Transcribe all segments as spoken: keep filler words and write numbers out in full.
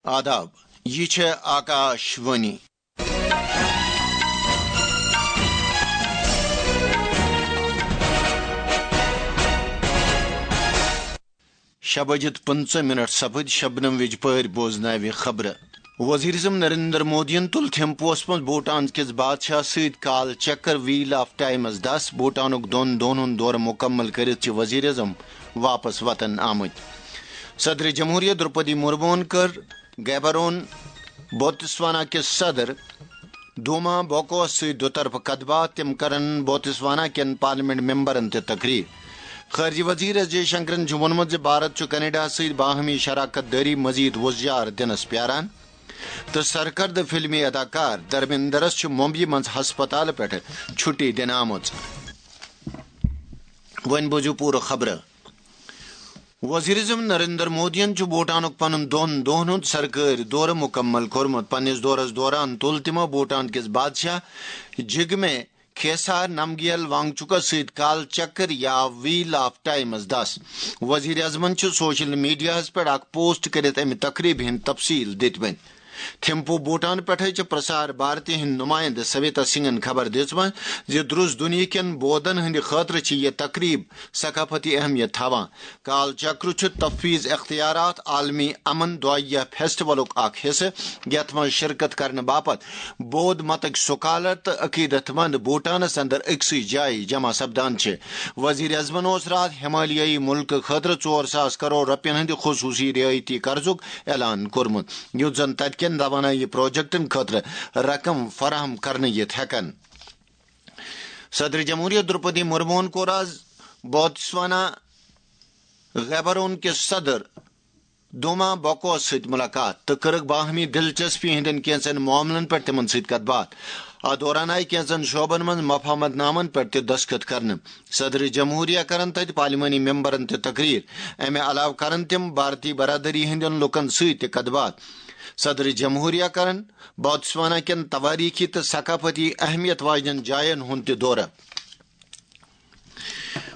آداب، یہِ چھےٚ آکاش وانی۔ شےٚ بجِتھ پٕنٛژٕہ منٹ سپٕدۍ، شبنم وِجپٲرۍ بوزناوِ خبرٕ۔ وزیر اعظم نریندر مودیَن تُل تھمپوَس منٛز بھوٹان کِس بادشاہ سۭتۍ کال چکر ویل آف ٹائمس دس۔ بھوٹانُک دۄن دۄہَن ہُنٛد دورٕ مُکمل کٔرِتھ چھِ وزیر اعظم واپس وطن آمٕتۍ۔ صدر جمہوریہ درپدی مرموہن کٔر گیبرون بوتسوانا کِس صدر دوما بوکوس سۭتۍ دُطرفہٕ کتھ باتھ۔ تِم کرن بوتسوانا کٮ۪ن پارلیمنٹ ممبرن تہِ تقریر۔ خارجہ وزیر ایس جے شنکرن چھُ ووٚنمُت زِ بھارت چھُ کینیڈاہَس سۭتۍ باہمی شراکت دٲری مزید وۄزجار دِنس پیاران تہٕ سرکردٕ فلمی اداکار دھرمیندرس چھُ ممبئی منٛز ہسپتالہٕ پٮ۪ٹھٕ چھُٹی دِنہٕ آمٕژ۔ وۄنۍ بوزِو پوٗرٕ خبرٕ۔ وزیر اعظم نریندر مودیَن چھُ بھوٹانُک پنُن دۄن دۄہَن ہُنٛد سرکٲرۍ دورٕ مُکمل کوٚرمُت۔ پننِس دورس دوران تُل تِمو بھوٹان کِس بادشاہ جگمے کھیسار نمگیل وانگچُکس سۭتۍ کال چکر یا ویل آف ٹائمس دس۔ وزیر اعظمن چھُ سوشل میڈیاہَس پٮ۪ٹھ اکھ پوسٹ کٔرِتھ اَمہِ تقریبہِ ہٕنٛدۍ تفصیل دِتمٕتۍ۔ تھمپو بھوٹان پٮ۪ٹھٕے چھِ پرسار بھارتی ہٕنٛدۍ نمائندٕ سویتا سنگھن خبر دِژمٕژ زِ درُس دُنیاہ کٮ۪ن بودن ہٕنٛدِ خٲطرٕ چھِ یہِ تقریب ثقافتی اہمیت تھاوان۔ کال چکر چھُ تفویض اختیارات، عالمی امن دعائیہ فیسٹیولُک اکھ حصہٕ، یتھ منٛز شرکت کرنہٕ باپتھ بود متٕکۍ سکالر تہٕ عقیدت مند بھوٹانس اندر أکسٕے جایہِ جمع سپدان چھِ۔ وزیر اعظمن اوس راتھ ہمالیٲیی ملکہٕ خٲطرٕ ژور ساس کرور رۄپین ہٕنٛدِ خصوصی رعایتی قرضُک اعلان کوٚرمُت، یُتھ زن تتہِ کٮ۪ن توانٲیی پروجیکٹن خٲطرٕ رقم فراہم کرنہٕ یِتھ ہٮ۪کن۔ صدر جمہوریہ درپدی مرموہن کوٚر آز بوتسوانا گیبرون کِس صدر دوما بوکوس سۭتۍ مُلاقات تہٕ کٔرٕکھ باہمی دلچسپی ہٕنٛدٮ۪ن کینٛژن معاملن پٮ۪ٹھ تِمن سۭتۍ کتھ باتھ۔ اتھ دوران آیہِ کینٛژن شعبن منٛز مفاہمت نامن پٮ۪ٹھ تہِ دستخط کرنہٕ۔ صدر جمہوریہ کرن تتہِ پارلیمانی ممبرن تہِ تقریر۔ امہِ علاوٕ کرن تِم بھارتی برادری ہٕنٛدٮ۪ن لوٗکن سۭتۍ تہِ کتھ باتھ۔ صدر جمہوریہ کرن بوتسوانا کٮ۪ن توٲریٖخی تہٕ ثقافتی اہمیت واجنٮ۪ن جاین ہُنٛد تہِ دورٕ۔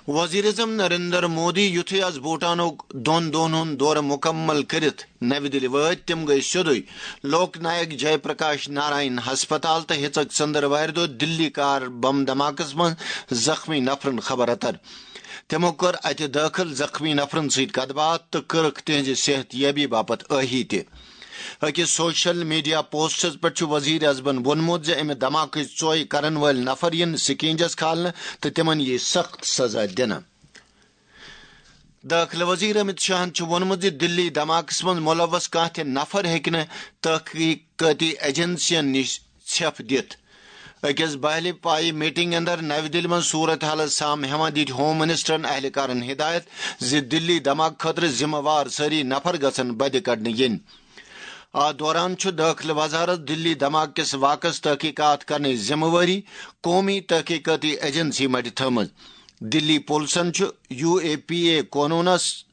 وزیر اعظم نریندر مودی یُتھُے آز بھوٹانُک دۄن دۄہن ہُنٛد دورٕ مُکمل کٔرِتھ نَوِ دِلہِ وٲتۍ، تِم گٔیہِ سیوٚدُے لوک نایک جے پرکاش نارائن ہسپتال تہٕ ہیژٕکھ ژٔنٛدٕروارِ دۄہ دِلی کار بم دھماکس منٛز زخمی نفرن خبر اتر۔ تِمو کٔر اتہِ دٲخل زخمی نفرن سۭتۍ کتھ باتھ تہٕ کٔرٕکھ تِہنٛزِ صحت یٲبی باپتھ ٲہی تہِ۔ أکِس سوشل میڈیا پوسٹس پٮ۪ٹھ چھُ وزیر اعظمن ووٚنمُت زِ امہِ دھماکٕچ ژۄے کرن وٲلۍ نفر یِن سِکنجس کھالنہٕ تہٕ تِمن یِیہِ سخت سزا دِنہٕ۔ دٲخلہٕ وزیر امت شاہن چھُ ووٚنمُت زِ دِلی دھماکس منٛز ملوث کانٛہہ تہِ نفر ہیٚکہِ نہٕ تحقیقٲتی ایجنسین نِش ژھٮ۪پھ دِتھ۔ أکِس بہلہِ پایہِ میٹنگ اندر نَوِ دِلہِ منٛز صورت حالس سام ہٮ۪وان دِتۍ ہوم منسٹرن اہلکارن ہدایت زِ دِلی دھماکہٕ خٲطرٕ ذمہٕ وار سٲری نفر گژھن بدِ کڑنہٕ یِنۍ۔ اتھ دوران چھُ دٲخلہٕ وزارت دِلی دھماکہٕ کِس واقعس تحقیقات کرنٕچ ذمہٕ وٲری قومی تحقیقاتی ایجنسی مَتھِ تھٲومٕژ۔ دِلی پُلسن چھُ یو اے پی اے قونوٗنس،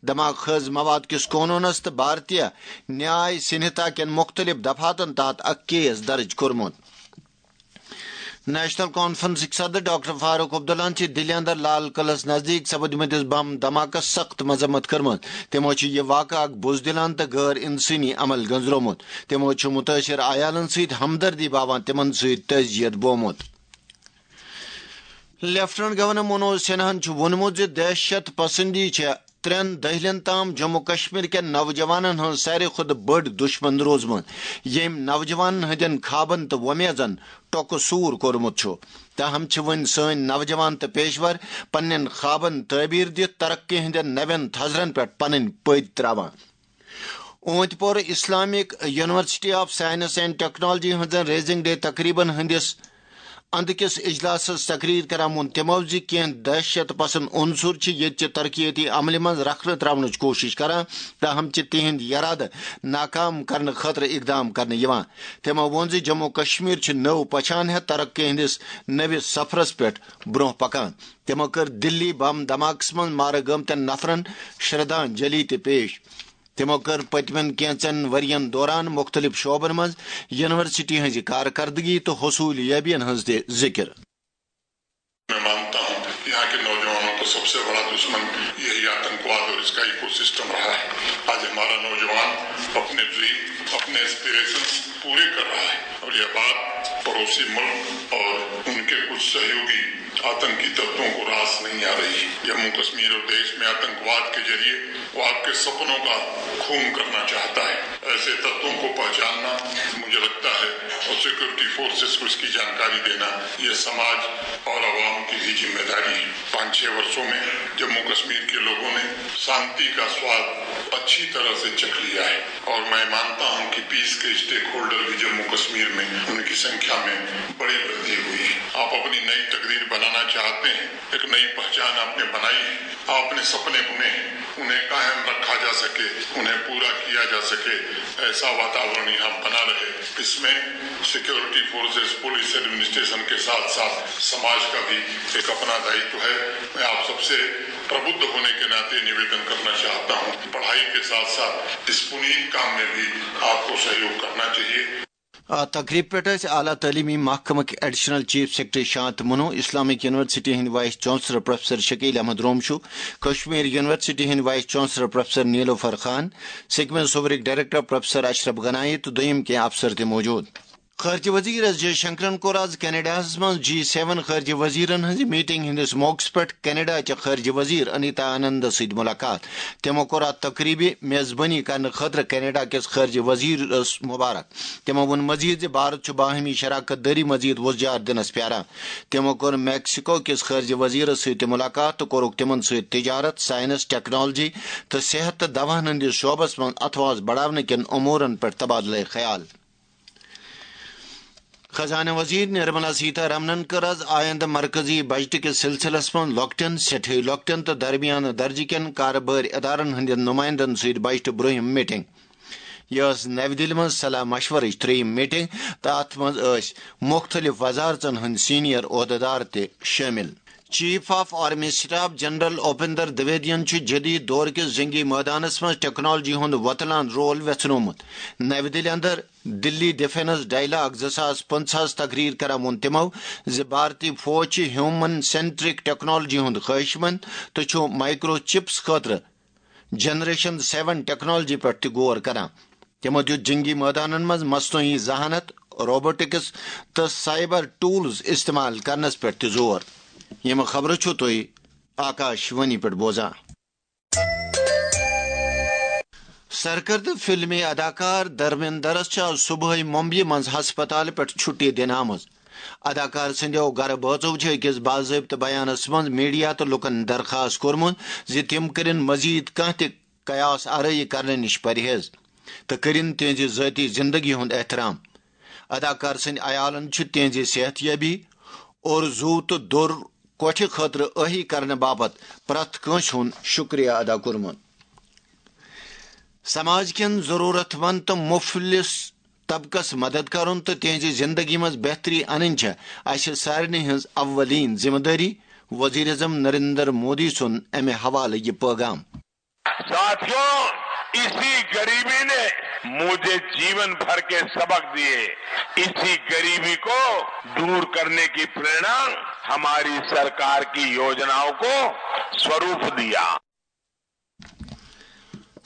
دھماکہٕ خیز مواد کِس قونوٗنس تہٕ بھارتیہ نیاے سنہتا کٮ۪ن مُختٔلِف دفعاتن تحت اکھ کیس درٕج کوٚرمُت۔ نیشنل کانفرنسٕکۍ صدر ڈاکٹر فاروق عبداللہَن چھِ دِلہِ اندر لال قلعس نزدیٖک سپدمٕتِس بم دھماکس سخت مذمت کٔرمٕژ۔ تِمو چھُ یہِ واقعہٕ اکھ بزدلانہٕ تہٕ غٲر انسٲنی عمل گٔنزرومُت۔ تِمو چھُ مُتٲثر عیالن سۭتۍ ہمدردی باوان تِمن سۭتۍ تعزیت بومُت۔ لیفٹیننٹ گورنر منوج سنہاہن چھُ ووٚنمُت زِ دہشت پسندی چھےٚ ترٛٮ۪ن دٔہلٮ۪ن تام جموں کشمیر کٮ۪ن نوجوانن ہٕنٛز ساروی کھۄتہٕ بٔڑ دُشمن روٗزمٕژ، ییٚمۍ نوجوانن ہٕنٛدٮ۪ن خوابن تہٕ وۄمیزن ٹۄکہٕ سوٗر کوٚرمُت چھُ۔ تاہم چھِ وۄنۍ سٲنۍ نوجوان تہٕ پیشور پننٮ۪ن خوابن تعبیر دِتھ ترقی ہٕنٛدٮ۪ن نوٮ۪ن تھزرن پٮ۪ٹھ پنٕنۍ پٔتۍ تراوان۔ اونت پور Islamic university of science and technology ہٕنٛزن ریزنگ ڈے تقریبن ہٕنٛدِس اندٕ کِس اجلاسس تقریر کران ووٚن تِمو زِ کینٛہہ دہشت پسند عنصر چھِ ییٚتہِ چہِ ترقیتی عملہِ منٛز رخنہٕ تراونٕچ کوٗشش کران، تاہم چھِ تِہنٛدۍ یرادٕ ناکام کرنہٕ خٲطرٕ اقدام کرنہٕ یِوان۔ تِمو ووٚن زِ جموں کشمیر چھُ نٔو پہچان ہیتھ ترقی ہٕنٛدِس نٔوِس سفرس پٮ۪ٹھ برونٛہہ پکان۔ تِمو کٔر دِلی بم دھماکس منٛز مارٕ گٲمتٮ۪ن نفرن شردھانجلی تہِ پیش۔ تِمو کٔر پٔتمٮ۪ن کینٛژن ؤرین دوران مُختٔلِف شعبن منٛز یونیورسٹی ہٕنٛزِ کارکردگی تہٕ حصوٗل یٲبین ہٕنٛز تہِ ذِکِر۔ میں مانتا ہوں، یہاں کے نوجوانوں کا سب سے بڑا دشمن یہی آتنکواد اور اس کا ایکو سسٹم رہا ہے۔ آج ہمارا نوجوان اپنے ڈریم، اپنے ایسپیریشنز پورے کر رہا ہے اور یہ بات پڑوسی ملک اور ان کے کچھ سہیوگی آتنکی تتووں کو راس نہیں آ رہی۔ جموں کشمیر اور دیش میں آتنکواد کے ذریعے وہ آپ کے سپنوں کا خون کرنا چاہتا ہے۔ ایسے تتووں کو پہچاننا، مجھے لگتا ہے، اور سیکورٹی فورسز کو اس کی جانکاری دینا، یہ سماج اور عوام کی بھی ذمہ داری ہے۔ پانچ چھ برسوں میں جموں کشمیر کے لوگوں نے شانتی کا سواد اچھی طرح سے چکھ لیا ہے اور میں مانتا ہوں کہ پیس کے اسٹیک ہولڈر بھی جموں کشمیر میں ان کی سنکھیا میں بڑی وردی ہوئی ہے۔ آپ اپنی نئی تقدیر بنانا چاہتے ہیں، ایک نئی پہچان آپ نے بنائی ہے، آپ نے سپنے بنے ہیں، انہیں قائم رکھا جا سکے، انہیں پورا کیا جا سکے، ایسا واتاورن یہاں بنا رہے۔ اس میں سیکیورٹی فورسز، پولیس ایڈمنسٹریشن کے ساتھ ساتھ سماج کا بھی ایک اپنا دائتو ہے۔ میں آپ سب سے پربدھ ہونے کے ناطے نویدن کرنا چاہتا ہوں، پڑھائی کے ساتھ ساتھ اس پنیت کام میں بھی آپ کو سہیوگ کرنا چاہیے۔ آ تقریب پٮ۪ٹھ ٲسۍ اعلیٰ تعلیمی محکمٕکۍ ایڈیشنل چیف سیکرٹری شانت منو، اسلامک یونیورسٹی ہٕنٛدۍ vice chancellor professor Shakeel Ahmad Romshoo, Kashmir university ہٕنٛدۍ vice chancellor professor Nilofar Khan, SKIMS صوبرٕکۍ ڈائریکٹر پروفیسر اشرف گنائی تہٕ دوٚیِم کینٛہہ افسر تہِ موجود۔ خارجہ وزیر ایس جے شنکرن کوٚر آز کینیڈاہس منٛز جی سیون خارجہ وزیرن ہٕنٛزِ میٹنگ ہٕنٛدِس موقعس پٮ۪ٹھ کینیڈا چہِ خارجہ وزیر انیتا آنندس سۭتۍ ملاقات۔ تِمو کوٚر اتھ تقریبہِ میزبٲنی کرنہٕ خٲطرٕ کینیڈا کِس خارجہ وزیرس مبارک۔ تِمو ووٚن مزید زِ بھارت چھُ باہمی شراکت دٲری مزید وۄزجار دِنس پیاران۔ تِمو کوٚر میکسیکو کِس خارجہ وزیرس سۭتۍ تہِ ملاقات تہٕ کوٚرُکھ تِمن سۭتۍ تجارت، سائنس، ٹیکنالوجی تہٕ صحت تہٕ دواہن ہٕنٛدِس شعبس منٛز اتھواس بڑاونہٕ کٮ۪ن امورن پٮ۪ٹھ تبادلہ خیال۔ خزانہ وزیر نرملا سیتا رمنن کٔر آز آیندہ مرکزی بجٹ کِس سلسلس منٛز لۄکٹٮ۪ن، سٮ۪ٹھے لۄکٹٮ۪ن تہٕ درمیانہٕ درجہٕ کٮ۪ن کارٕبٲرۍ ادارن ہٕنٛدٮ۪ن نمائندن سۭتۍ بجٹہٕ برٛونٛہِم میٹنگ۔ یہِ ٲس نَوِ دِلہِ منٛز صلاح مشورٕچ ترٛیٚیِم میٹنگ تہٕ اَتھ منٛز ٲسۍ مُختٔلِف وزارژن ہٕنٛدۍ سینئر عہدٕدار تہِ شٲمِل۔ Chief of army staff general Upendra دویدین چھُ جدید دور کِس جنگی مٲدانس منٛز ٹیکنالوجی ہُنٛد وۄتلان رول ویژھنومُت۔ نَوِ دِلہِ اندر دِلی ڈیفنس ڈائیلاگ زٕ ساس پنٛژاہس تقریر کران ووٚن تِمو زِ بھارتی فوج چھِ ہیومن سینٹرک ٹیکنالوجی ہُنٛد خواہشمند تہٕ چھُ مائیکرو چپس خٲطرٕ جنریشن سیون ٹیکنالوجی پٮ۪ٹھ تہِ غور کران۔ تِمو دیُت جنگی مٲدانن منٛز مصنوعی ذہانت، روبوٹکس تہٕ سائبر ٹولز استعمال کرنس پٮ۪ٹھ تہِ زور۔ یِم خبرٕ چھِو تُہۍ آکاش وانی پٮ۪ٹھ بوزان۔ سرکردٕ فلمی اداکار دھرمیندرس چھِ آز صبحٲے ممبیہِ منٛز ہسپتالہٕ پٮ۪ٹھ چھُٹی دِنہٕ آمٕژ۔ اداکار سٕنٛدیو گرٕ بٲژو چھِ أکِس باضٲبطہٕ بیانس منٛز میڈیا تہٕ لوٗکن درخاست کوٚرمُت زِ تِم کٔرِن مزید کانٛہہ تہِ قیاس آرٲیی کرنہٕ نِش پرہیز تہٕ کٔرِن تِہنٛزِ ذٲتی زندگی ہُنٛد احترام۔ اداکار سٕنٛدۍ عیالن چھُ تِہنٛزِ صحت یٲبی اور زُو تہٕ دوٚر کوٹھِ خٲطرٕ ٲہی کرنہٕ باپتھ پرٛٮ۪تھ کٲنٛسہِ ہُنٛد شُکریہ ادا کوٚرمُت۔ سماج کٮ۪ن ضروٗرت مند تہٕ مُفلِس طبقس مدد کرُن تہٕ تِہنٛزِ زندگی منٛز بہتری انٕنۍ چھےٚ اسہِ سارنٕے ہٕنٛز اولین ذمہٕ دٲری، وزیر اعظم نریندر مودی سُنٛد امہِ حوالہٕ یہِ پٲغام۔ ساتھیوں، اسی غریبی نے مجھے जीवन भर के सबक दिए। इसी गरीबी को दूर करने की प्रेरणा हमारी सरकार की योजनाओं को स्वरूप दिया।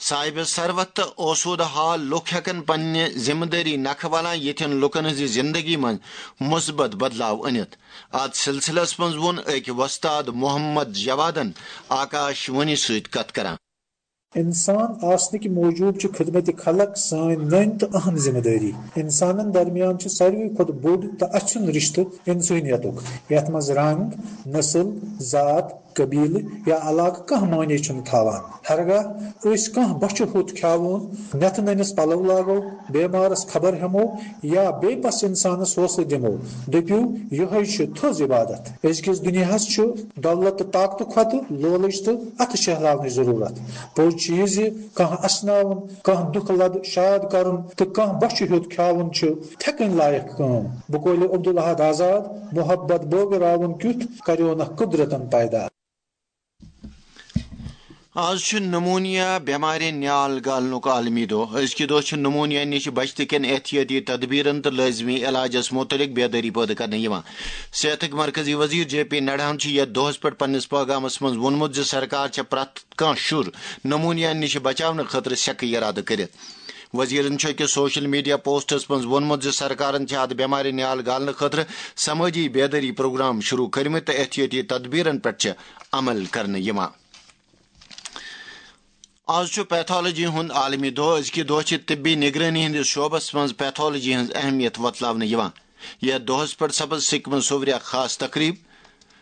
صاحب ثروت تہٕ آسودٕ حال لُکھ ہٮ۪کن پننہِ ذمہٕ دٲری نکھٕ ولان یِتھٮ۪ن لُکن ہٕنٛزِ زندگی منٛز مثبت بدلاو أنِتھ۔ اتھ سلسلس منٛز ووٚن أکۍ وۄستاد محمد جوادن آکاش وانی سۭتۍ کتھ کران۔ انسان آسنٕکۍ موٗجوٗب چھِ خدمت خلق سٲنۍ نٔنۍ تہٕ اہم ذمہٕ دٲری۔ انسانن درمیان چھُ ساروی کھۄتہٕ بوٚڑ تہٕ اَژھُن رشتہٕ انسٲنیتُک، یتھ منٛز رنگ، نسل، ذات، قبیلہٕ یا علاقہٕ کانٛہہ معنی چھُنہٕ تھاوان۔ ہرگاہ أسۍ کانٛہہ بۄچھِ ہوٚت کھیاوون، نٮ۪تھٕ نٔنِس پلو لاگو، بیمارس خبر ہٮ۪مو یا بے بس انسانس حوصلہٕ دِمو، دٔپِو، یِہوٚے چھُ تھٔز عبادت۔ أزکِس دُنیاہس چھُ دولت تہٕ طاقتہٕ کھۄتہٕ لولٕچ تہٕ اتھٕ شہلاونٕچ ضروٗرت۔ پوٚز چھُ یہِ زِ کانٛہہ اسناوُن، کانٛہہ دُکھ لد شاد کرُن تہٕ کانٛہہ بۄچھِ ہیوٚت کھیاوُن چھُ تھٮ۪کٕنۍ لایق کٲم۔ بقولِ عبدالاحد آزاد، محبت بٲگراوُن کیُتھ کریونکھ قدرتن پیدا۔ آز چھُ نمونیا بٮ۪مارِ نیال گالنُک عالمی دۄہ۔ أزکہِ دۄہ چھُ نمونیا نِش بچتہٕ کٮ۪ن احتیاطی تدبیرن تہٕ لٲزمی علاجس مُتعلق بیدٲری پٲدٕ کرنہٕ یِوان۔ صحتٕکۍ مرکزی وزیر جے پی نڈاہن چھُ یتھ دۄہس پٮ۪ٹھ پننِس پٲغامس منٛز ووٚنمُت زِ سرکار چھےٚ پرٛٮ۪تھ کانٛہہ شُر نمونیا نِش بچاونہٕ خٲطرٕ سیٚکہٕ اِرادٕ کٔرِتھ۔ وزیرن چھُ أکِس سوشل میڈیا پوسٹس منٛز ووٚنمُت زِ سرکارن چھِ اتھ بٮ۪مارِ نیال گالنہٕ خٲطرٕ سمٲجی بیدٲری پروگرام شروع کٔرمٕتۍ تہٕ احتیاطی تدبیرن پٮ۪ٹھ چھِ عمل کرنہٕ یِوان۔ آز چھُ پیتھولوجی ہُنٛد عالمی دۄہ۔ أزکہِ دۄہ چھِ طبی نگرٲنی ہٕنٛدِس شعبس منٛز پیتھولوجی ہٕنٛز اہمیت وۄتلاونہٕ یِوان۔ یتھ دۄہس پٮ۪ٹھ سپز سکمز صوورِ اکھ خاص تقریب۔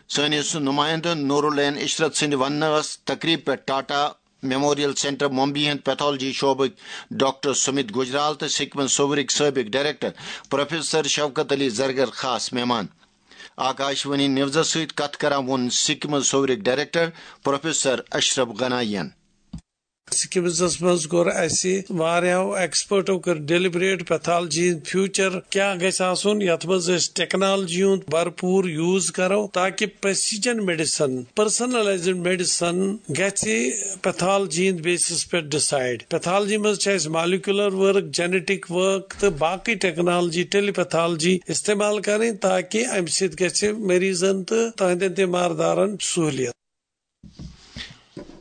سٲنِس نمائندٕ نورالعین عشرت سٕنٛدِ وننہٕ ٲس تقریب پٮ۪ٹھ ٹاٹا میموریل سینٹر ممبئی ہٕنٛدۍ پیتھولوجی شعبٕکۍ ڈاکٹر سمت گجرال تہٕ سکمز صوورٕکۍ سٲبق ڈائریکٹر پروفیسر شوکت علی زرگر خاص مہمان۔ آکاشوانی نیوزس سۭتۍ کتھ کران ووٚن سکمز صوورٕکۍ ڈائریکٹر پروفیسر اشرف غنائی ین۔ سکمزس منٛز کوٚر اسہِ واریاہو ایکسپرٹو کٔر ڈیلیبریٹ پیتھالجی ہُنٛد فیوچر کیٛاہ گژھِ آسُن، یتھ منٛز أسۍ ٹیکنالجی ہُنٛد بھرپور یوز کرو تاکہ پریسیجن میڈیسن، پرسنلائزڈ میڈیسن گژھِ پیتھالجی ہٕنٛدۍ بیسس پٮ۪ٹھ ڈیسائیڈ۔ پیتھالجی منٛز چھِ اسہِ مالیکولر ورک، جینیٹک ورک تہٕ باقی ٹیکنالجی، ٹیلی پیتھالجی استعمال کرٕنۍ تاکہ امہِ سۭتۍ گژھِ مریضن تہٕ تہنٛدٮ۪ن تیمار دارن سہولیت۔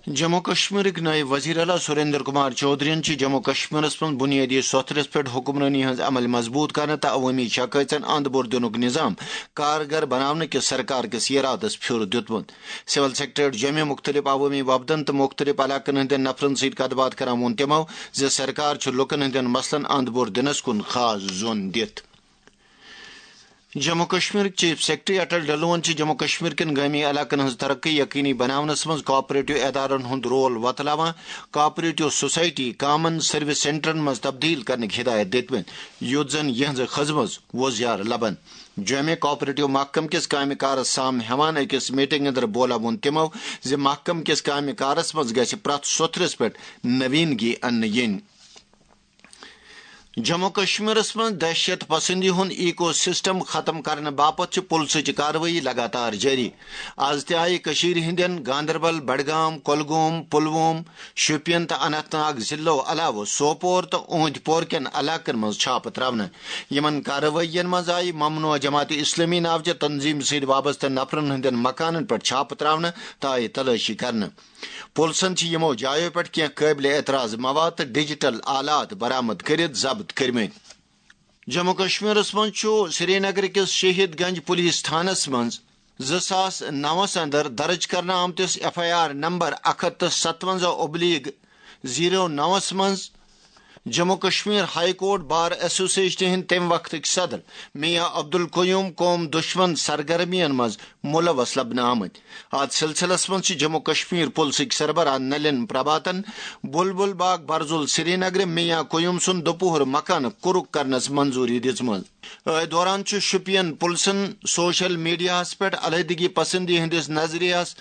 جموں کشمیرٕکۍ نٲیِب وزیر اعلیٰ سریندر کمار چودھرین چھِ جموں کشمیرس منٛز بنیٲدی سوٚتھرس پٮ۪ٹھ حکمرٲنی ہٕنٛز عمل مضبوٗط کرنہٕ تہٕ عوٲمی شکایژن اند بوٚر دِنُک نظام کارگر بناونہٕ کِس سرکار کِس ارادس پھیُر دیُتمُت۔ سول سیکرٹریٹ جوٚمہِ مُختٔلِف عوٲمی وفدن تہٕ مُختٔلِف علاقن ہٕنٛدٮ۪ن نفرن سۭتۍ کتھ باتھ کران ووٚن تِمو زِ سرکار چھُ لوٗکن ہٕنٛدٮ۪ن مسلن اند بوٚر دِنس کُن خاص زون دِتھ۔ جموں کشمیر چیف سیکرٹری اٹل ڈلون چھِ جموں کشمیر کٮ۪ن گٲمی علاقن ہٕنٛز ترقی یقینی بناونس منٛز کوآپریٹو ادارن ہُنٛد رول وۄتلاوان کوآپریٹو سوسائٹی کامن سروس سینٹرن منٛز تبدیل کرنٕکۍ ہدایت دِتمٕتۍ، یُتھ زن یِہنٛز خدمژ وۄزیار لبن۔ جوٚمہِ کوآپریٹو محکمہٕ کِس کامہِ کارس سام ہٮ۪وان أکِس میٹنگ اندر بولا ووٚن تِمو زِ محکمہٕ کِس کامہِ کارس منٛز گژھِ پرٛٮ۪تھ سوٚتھرِس پٮ۪ٹھ نوینگی اننہٕ یِنۍ۔ جموں کشمیرس منٛز دہشت پسندی ہُنٛد ایکو سسٹم ختم کرنہٕ باپتھ چھِ پُلسٕچ کاروٲیی لگاتار جٲری۔ از تہِ آیہِ کٔشیٖرِ ہٕنٛدٮ۪ن گاندربل، بڈگام، کۄلگوم، پُلووم، شوپین تہٕ اننت ناگ ضلعو علاوٕ سوپور تہٕ اوندۍ پور کٮ۪ن علاقن منٛز چھاپہٕ تراونہٕ۔ یِمن کاروٲیین منٛز آیہِ ممنوع جماعت اسلامی ناوچہِ تنظیمہِ سۭتۍ وابستہٕ نفرن ہٕنٛدٮ۪ن مکانن پٮ۪ٹھ چھاپہٕ تراونہٕ تہٕ آیہِ تلٲشی کرنہٕ۔ پُلسن چھِ یِمو جایو پٮ۪ٹھ کینٛہہ قٲبلِ اعتراض مواد تہٕ ڈیجیٹل آلات برآمد کٔرِتھ ضبط کٔرمٕتۍ۔ جموں کشمیرس منٛز چھُ سرینگر کِس شہید گنج پولیس تھانس منٛز زٕ ساس نَوَس اندر درج کرنہٕ آمتِس ایف آئی آر نمبر اکھ ہتھ تہٕ ستونزہ اوبلیگ زیٖرو نَوَس منٛز Jammu Kashmir high court bar ایسوسیشنہِ ہٕنٛدۍ تَمہِ وقتٕکۍ صدر میاں عبدالقیوم قوم دشمن سرگرمیَن منٛز ملوث لبنہٕ آمٕتۍ۔ اتھ سلسلس منٛز چھِ جموں کشمیر پُلسٕکۍ سربراہ نلین پربھاتن، بلبل باغ برزُل سرینگرٕ میاں قیوم سُنٛد دُپہر مکانہٕ کُرُک کرنس منظوری دِژمٕژ۔ أتھۍ دوران چھُ شوپین پُلسن سوشل میڈیاہَس پٮ۪ٹھ علیحدگی پسندی ہٕنٛدِس نظریہَس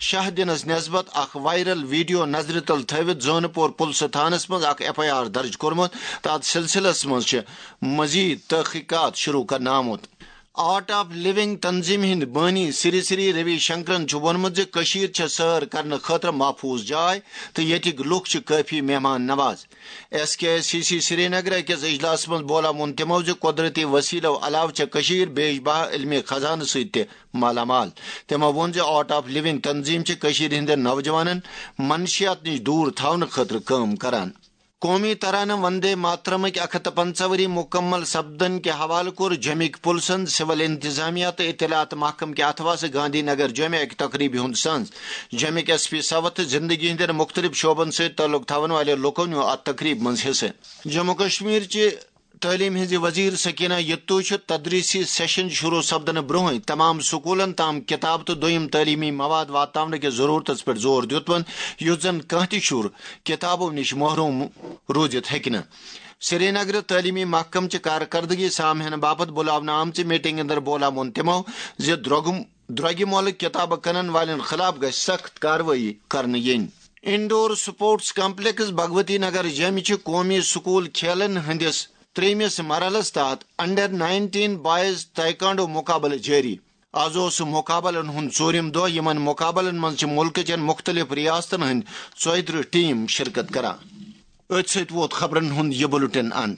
شاہ دِنَس نسبت اکھ وائرل ویڈیو نظرِ تل تھٲوِتھ زٲنہٕ پور پُلسہٕ تھانس منٛز اکھ ایف آئی آر درج کوٚرمُت تہٕ اتھ سلسلس منٛز چھِ مزید تحقیقات شروع کرنہٕ آمُت۔ آرٹ آف لونگ تنظیمہِ ہٕنٛدۍ بٲنی سری سری روی شنکرن چھُ ووٚنمُت زِ کٔشیٖر چھےٚ سٲر کرنہٕ خٲطرٕ محفوظ جاے تہٕ ییٚتِکۍ لُکھ چھِ کٲفی مہمان نواز۔ ایس کے ایس سی سی سرینگر أکِس اجلاسَس منٛز بولا ووٚن تِمو زِ قۄدرٔتی وسیلو علاوٕ چھےٚ کٔشیٖر بیش بہا علمی خزانہٕ سۭتۍ تہِ مالا مال۔ تِمو ووٚن زِ آرٹ آف لونگ تنظیٖم چھِ کٔشیٖرِ ہٕنٛدٮ۪ن نوجوانن منشیات نِش دوٗر تھاونہٕ خٲطرٕ کٲم کران۔ قومی ترانہٕ وندے ماترمٕکۍ اکھ ہتھ تہٕ پنژاہ ؤری مکمل سپدن کہِ حوالہٕ کوٚر جوٚمِکۍ پُلسن سول انتظامیہ تہٕ اطلاعات محکمہٕ کہِ اتھواسہٕ گاندھی نگر جوٚمہِ اکہِ تقریبہِ ہُنٛد سنز۔ جوٚمِکۍ ایس پی ساوتھ تہٕ زندگی ہٕنٛدٮ۪ن مختلف شعبن سۭتۍ تعلق تھاون والٮ۪و لوٗکو نیوٗ اتھ تقریبہِ منٛز حصہٕ۔ جموں کشمیر چہِ تعلیٖم ہٕنٛزِ وزیر سکینہ یتو چھُ تدریسی سیشن شروع سپدنہٕ برونٛہٕے تمام سکوٗلن تام کتاب تہٕ دوٚیم تعلیٖمی مواد واتناونہٕ کِس ضروٗرتس پٮ۪ٹھ زور دیُتمُت، یُتھ زن کانٛہہ تہِ شُر کتابو نِش محروم روٗزِتھ ہیٚکہِ نہٕ۔ سرینگرٕ تعلیٖمی محکمہٕ چہِ کارکردگی سام ہینہٕ باپتھ بُلاونہٕ آمژِ میٹنگ اندر بولا ووٚن تِمو زِ درٛوگہٕ درٛوگہِ مۄلہٕ کتابہٕ کٕنن والٮ۪ن خلاف گژھِ سخت کاروٲیی کرنہٕ یِنۍ۔ انڈور سپورٹس کمپلیکس بھگوتی نگر جیمہِ چھِ قومی سکول کھیلن ہٕنٛدِس ترٛیٚیمِس مرحلس تحت انڈر نائنٹین بوائز تائیکانڈو مقابلہٕ جٲری۔ از اوس مقابلن ہُنٛد ژوٗرِم دۄہ۔ یِمن مقابلن منٛز چھِ مُلکہٕ چٮ۪ن مُختٔلِف ریاستن ہٕنٛدۍ ژۄیہِ ترٕٛہ ٹیٖم شرکت کران۔ أتھۍ سۭتۍ ووت خبرن ہُنٛد یہِ بُلٹن اند۔